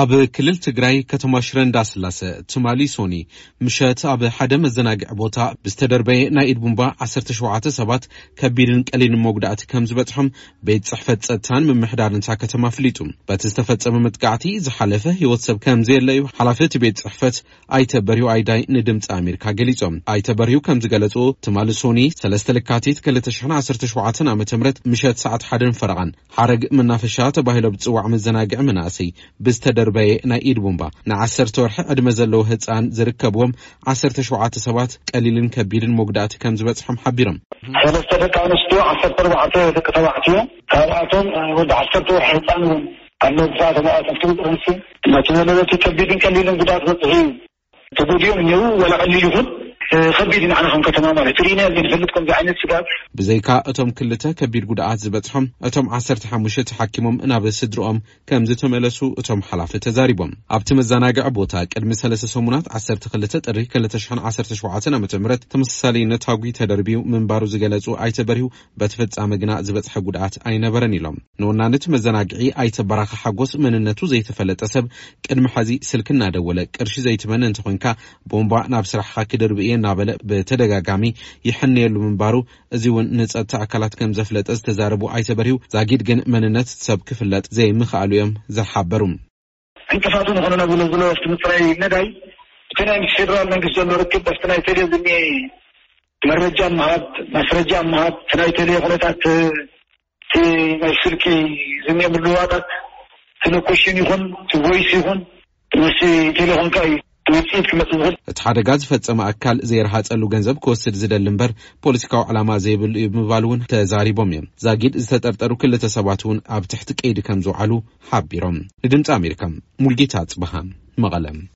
ኣብ ክልል ትግራይ ከተማ ሽረ እንዳስላሰ ትማሊ ሶኒ ምሸት ኣብ ሓደ መዘናግዒ ቦታ ብዝተደርበየ ናይ ኢድ ቡምባ ዓሰርተ ሸውዓተ ሰባት ከቢድን ቀሊልን መጉዳእቲ ከም ዝበፅሖም ቤት ፅሕፈት ፀጥታን ምምሕዳርን እታ ከተማ ኣፍሊጡ። በቲ ዝተፈጸመ መጥቃዕቲ ዝሓለፈ ህይወት ሰብ ከም ዘየለ እዩ ሓላፊ እቲ ቤት ፅሕፈት ኣይተ በሪሁ ኣይዳይ ንድምፂ ኣሜሪካ ገሊጾም። ኣይተ በሪሁ ከም ዝገለጹ ትማሊ ሶኒ ሰለስተ ለካቲት ክልተ ሽሕን ዓሰርተ ሸውዓተን ዓመተ ምህረት ምሸት ሰዓት ሓደን ፈረቓን ሓረግ መናፈሻ ተባሂሎ ብዝጽዋዕ መዘናግዒ መናእሰይ ብዝተደርበየ ናይ ኢድ ቡምባ ንዓሰርተ ወርሒ ዕድመ ዘለዎ ህጻን ዝርከብዎም ዓሰርተ ሸውዓተ ሰባት ቀሊልን ከቢድን መጉዳእቲ ከም ዝበጽሖም ሓቢሮም። ሰለስተ ደቂ ኣንስትዮ፣ ዓሰርተ ኣርባዕተ ደቂ ተባዕትዮ፣ ካብኣቶም ወዲ ዓሰርተ ወርሒ ህጻን እውን ኣሎ። ብዛዕባ ተባዕትዮ ክብል ጥርንሲ ነቲ ዘለበቲ ከቢድን ቀሊልን ጉዳት በጽሑ እዩ። ተጎዲኦም እኒው ወላ ቀሊል ይኹን ከቢድ ንዓና ከም ከተማ ማለት ርኢና ዘይንፈልጥ ከምዚ ዓይነት ስጋት። ብዘይካ እቶም ክልተ ከቢድ ጉድኣት ዝበፅሖም እቶም ዓሰርተ ሓሙሽተ ተሓኪሞም ናብ ስድርኦም ከም ዝተመለሱ እቶም ሓላፊ ተዛሪቦም። ኣብቲ መዘናግዒ ቦታ ቅድሚ ሰለስተ ሰሙናት ዓሰርተ ክልተ ጥሪ ክልተ ሽሕን ዓሰርተ ሸውዓተን ዓመተ ምህረት ተመሳሳሊ ነታጒ ተደርብዩ ምንባሩ ዝገለጹ ኣይተ በሪሁ በቲ ፍጻመ ግና ዝበፅሐ ጉድኣት ኣይነበረን ኢሎም። ንወናኒ እቲ መዘናግዒ ኣይተ በራኸ ሓጎስ መንነቱ ዘይተፈለጠ ሰብ ቅድሚ ሐዚ ስልኪ እናደወለ ቅርሺ ዘይትመነ እንተኾንካ ቦምባ ናብ ስራሕኻ ክድርብ እየ እናበለ ብተደጋጋሚ ይሕነየሉ ምንባሩ እዚ እውን ንፀጥታ ኣካላት ከም ዘፍለጠ ዝተዛረቡ ኣይተ በሪሁ ዛጊድ ግን መንነት እቲ ሰብ ክፍለጥ ዘይምኽኣሉ እዮም ዝሓበሩ። ዕንቅፋት ዝኾነ ነብሎ ዝሎ ኣብቲ ምፅራይ ነዳይ እቲ ናይ ፌደራል መንግስቲ ዘሎ ርክብ ኣብቲ ናይ ቴሌ ዝኒ መረጃ ምሃብ ማስረጃ ምሃብ እቲ ናይ ቴሌ ኩነታት እቲ ናይ ስልኪ ዝኒ ምልዋጣት እቲ ሎኬሽን ይኹን እቲ ቮይስ ይኹን ምስ ቴሌኮምካ እዩ ውፅኢት ክመፅእ ዝኽእል። እቲ ሓደጋ ዝፈጸመ ኣካል ዘይረሃጸሉ ገንዘብ ክወስድ ዝደሊ እምበር ፖለቲካዊ ዕላማ ዘይብሉ እዩ ብምባል እውን ተዛሪቦም እዮም። ዛጊድ ዝተጠርጠሩ ክልተ ሰባት እውን ኣብ ትሕቲ ቀይዲ ከም ዝውዓሉ ሓቢሮም። ንድምፂ ኣሜሪካ ሙልጌታ ኣጽብሃ መቐለ።